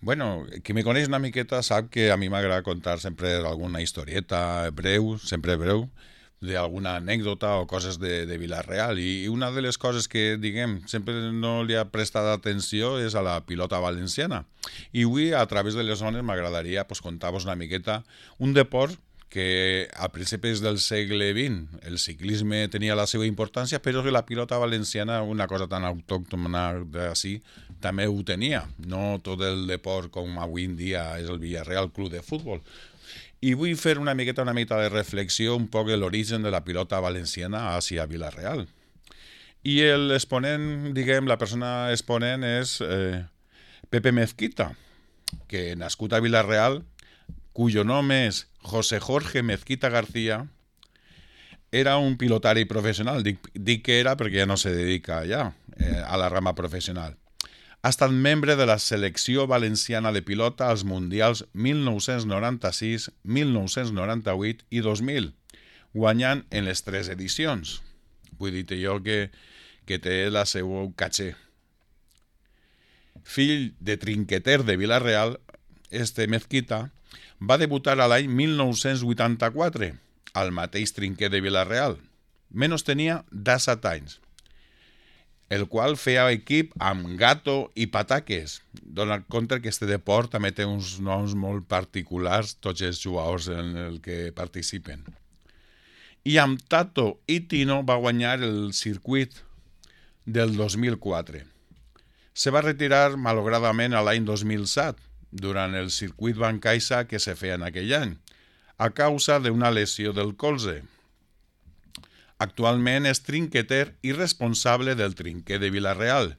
Bueno, qui me coneix una miqueta sap que a mi m'agrada contar sempre alguna historieta breu, sempre breu, d'alguna anècdota o coses de Vila-real. I una de les coses que, diguem, sempre no li ha prestat atenció és a la pilota valenciana. I avui, a través de les zones, m'agradaria pues, contar-vos una miqueta un deport que a principis del segle XX el ciclisme tenia la seva importància, però que la pilota valenciana, una cosa tan autòctona d'ací, també ho tenia. No tot el deport com avui en dia és el Villarreal Club de Futbol. I vull fer una miqueta de reflexió un poc de l'origen de la pilota valenciana hacia Vila-real. I l'exponent, diguem, la persona exponent és Pepe Mezquita, que nascut a Vila-real, cuyo nom és José Jorge Mezquita García, era un pilotari professional. Dic que era perquè ja no se dedica ja a la rama professional. Ha estat membre de la selecció valenciana de pilota als mundials 1996, 1998 i 2000, guanyant en les 3 edicions. Vull dir-te jo que té la seva caché. Fill de trinqueter de Vila-real, este Mezquita va debutar a l'any 1984 al mateix trinquet de Vila-real. Menys tenia 17 anys, el qual feia equip amb Gato i Pataques. Dona compte que este deport també té uns noms molt particulars, tots els jugadors en el que participen. I amb Tato i Tino va guanyar el circuit del 2004. Se va retirar malogradament a l'any 2007, durant el circuit Bancaixa que se feia en aquell any, a causa d'una lesió del colze. Actualment és trinqueter i responsable del trinquet de Vila-real,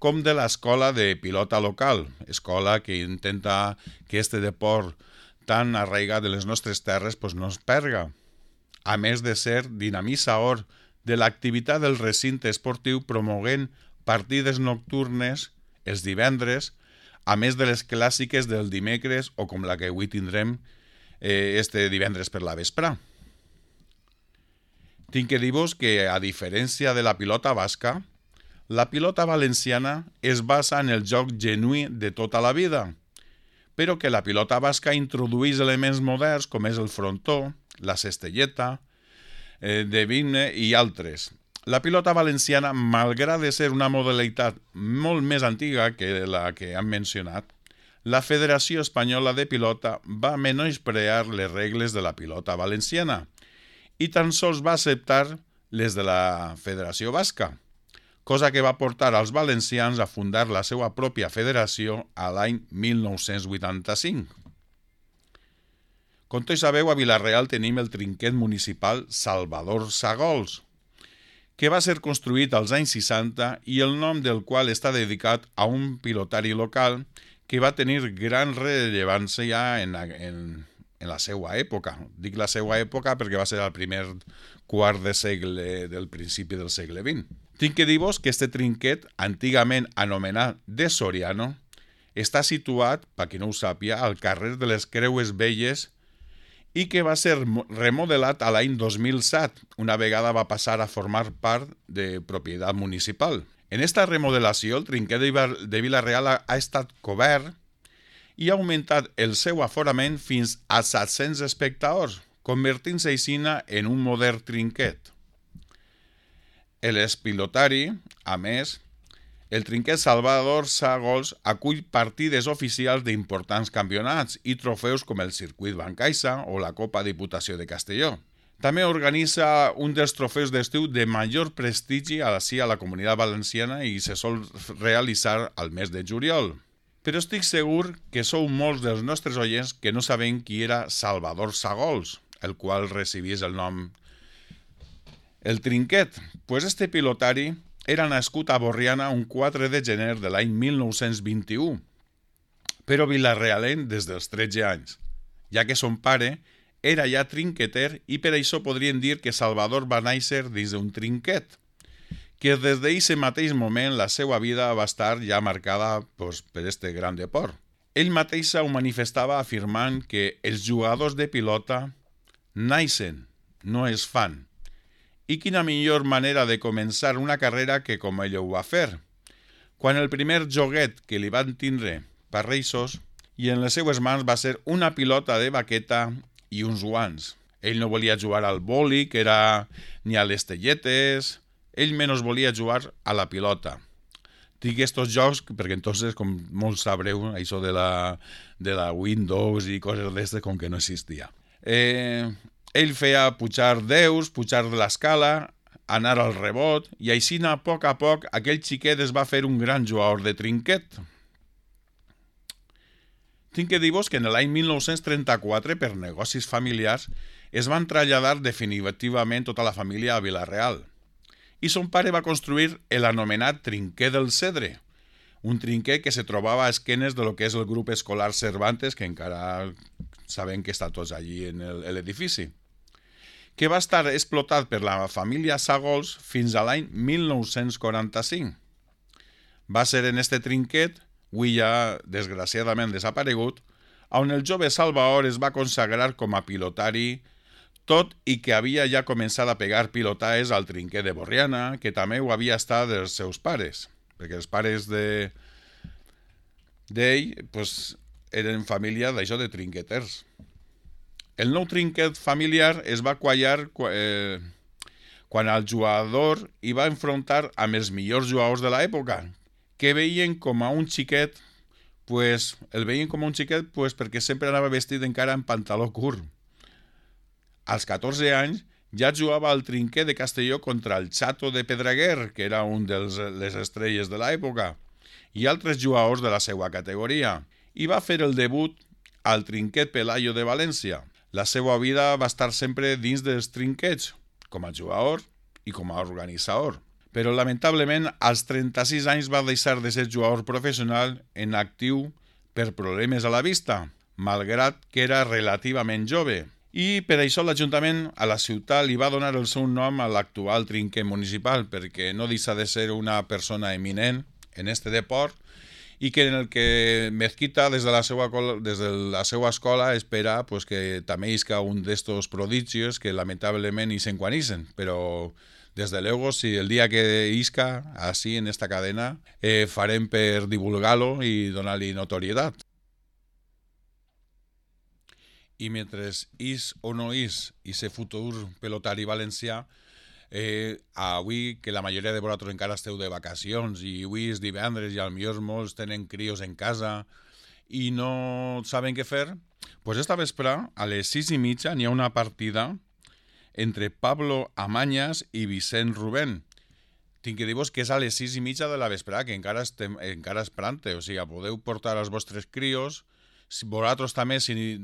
com de l'escola de pilota local, escola que intenta que este deport tan arraigat de les nostres terres pues, no es perga. A més de ser dinamitzador de l'activitat del recinte esportiu promoguent partides nocturnes els divendres, a més de les clàssiques del dimecres o com la que avui tindrem este divendres per la vesprà. Tinc que dir-vos que, a diferència de la pilota basca, la pilota valenciana es basa en el joc genuí de tota la vida, però que la pilota basca introdueix elements moderns com és el frontó, la cestelleta, de vigne i altres. La pilota valenciana, malgrat de ser una modalitat molt més antiga que la que hem mencionat, la Federació Espanyola de Pilota va menysprear les regles de la pilota valenciana i tan sols va acceptar les de la Federació Basca, cosa que va portar als valencians a fundar la seva pròpia federació a l'any 1985. Com tots sabeu, a Vila-real tenim el trinquet municipal Salvador Sagols, que va ser construït als anys 60 i el nom del qual està dedicat a un pilotari local que va tenir gran rellevància en la seva època. Dic la seva època perquè va ser el primer quart de segle del principi del segle XX. Tinc que dir-vos que este trinquet, antigament anomenat de Soriano, està situat, per qui no ho sàpia, al carrer de les Creues Velles i que va ser remodelat a l'any 2007, una vegada va passar a formar part de propietat municipal. En esta remodelació, el trinquet de Vila-real ha estat cobert i ha augmentat el seu aforament fins a 700 espectadors, convertint-se així en un modern trinquet. L'espilotari, a més, el trinquet Salvador Sagols acull partides oficials d'importants campionats i trofeus com el circuit Bancaixa o la Copa Diputació de Castelló. També organitza un dels trofeus d'estiu de major prestigi a la Comunitat Valenciana i se sol realitzar al mes de juliol. Però estic segur que sou molts dels nostres oients que no sabem qui era Salvador Sagols, el qual recibís el nom. El trinquet, pues este pilotari era nascut a Borriana un 4 de gener de l'any 1921, però vilarealenc des dels 13 anys, ja que son pare era ja trinqueter i per això podríem dir que Salvador va néixer dins d'un trinquet, que des d'aquest mateix moment la seva vida va estar ja marcada per este gran deport. Ell mateix ho manifestava afirmant que els jugadors de pilota naixen, no es fan. I quina millor manera de començar una carrera que com ell ho va fer. Quan el primer joguet que li van tindre parreixos, i en les seues mans va ser una pilota de baqueta i uns guants. Ell no volia jugar al boli, que era ni a les telletes, ell menys volia jugar a la pilota. Dic estos jocs perquè entonces, com molts sabreu, això de la Windows i coses d'aquestes com que no existia. Ell feia pujar deus, pujar de l'escala, anar al rebot, i així a poc aquell xiquet es va fer un gran jugador de trinquet. Tinc que dir-vos que en l'any 1934, per negocis familiars, es van traslladar definitivament tota la família a Vila-real. I son pare va construir l'anomenat trinquer del Cedre, un trinquer que se trobava a esquenes de lo que és el grup escolar Cervantes, que encara sabem que està tots allí en l'edifici, que va estar explotat per la família Sagols fins a l'any 1945. Va ser en este trinquet, avui ja desgraciadament desaparegut, on el jove Salvador es va consagrar com a pilotari, tot i que havia ja començat a pegar pilotades al trinquer de Borriana, que també ho havia estat dels seus pares, perquè els pares d'ell pues, eren família d'això de trinqueters. El nou trinquet familiar es va quallar quan el jugador hi va enfrontar amb els millors jugadors de l'època, que veien com a un xiquet, pues, perquè sempre anava vestit encara en pantaló curt. Als 14 anys ja jugava al trinquer de Castelló contra el Chato de Pedreguer, que era un de les estrelles de l'època, i altres jugadors de la seva categoria, i va fer el debut al trinquet Pelayo de València. La seva vida va estar sempre dins dels trinquets, com a jugador i com a organitzador. Però lamentablement als 36 anys va deixar de ser jugador professional en actiu per problemes a la vista, malgrat que era relativament jove. I per això l'Ajuntament a la ciutat li va donar el seu nom a l'actual trinquer municipal, perquè no deixa de ser una persona eminent en este deport i que en el que Mezquita des de la seva escola espera pues, que també isca un d'estos prodigios que lamentablement hi s'enquanixen, però des de luego, si el dia que isca així en esta cadena farem per divulgar-lo i donar-li notorietat. I mentre és o no és ese futur pelotari valencià, avui que la majoria de vosaltres encara esteu de vacacions i avui és divendres i potser molts tenen crios en casa i no saben què fer, pues esta vespre a les 6:30 n'hi ha una partida entre Pablo Amañas i Vicent Rubén. Tinc que dir-vos que és a les 6:30 de la vesprada, que encara és prante, o sigui, podeu portar els vostres crios. Vosaltres també, si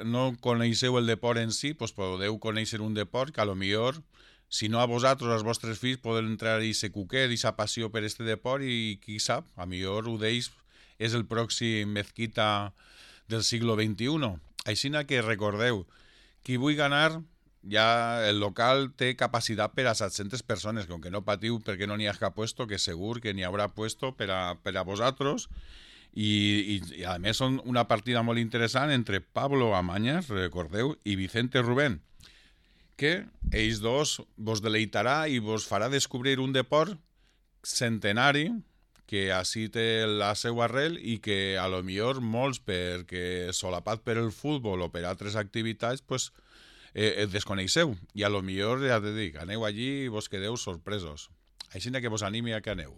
no coneixeu el deport en si, pues podeu conèixer un deport que a lo millor, si no a vosaltres, als vostres fills, poden entrar i se cuquet i sa passió per este deport i qui sap, a millor ho d'ells és el pròxim Mezquita del segle XXI. Així que recordeu, qui vull ganar, ja el local té capacitat per a 700 persones, com que no patiu perquè no n'hi ha cap puesto, que segur que n'hi haurà puesto per a vosaltres. I a més són una partida molt interessant entre Pablo Amañas, recordeu, i Vicente Rubén, que ells dos vos deleitarà i vos farà descobrir un deport centenari que així té la seva arrel i que a lo millor molts, perquè solapat per el futbol o per altres activitats, pues, desconeixeu. I a lo millor, ja te dic, aneu allí i vos quedeu sorpresos. Així que vos animi a que aneu.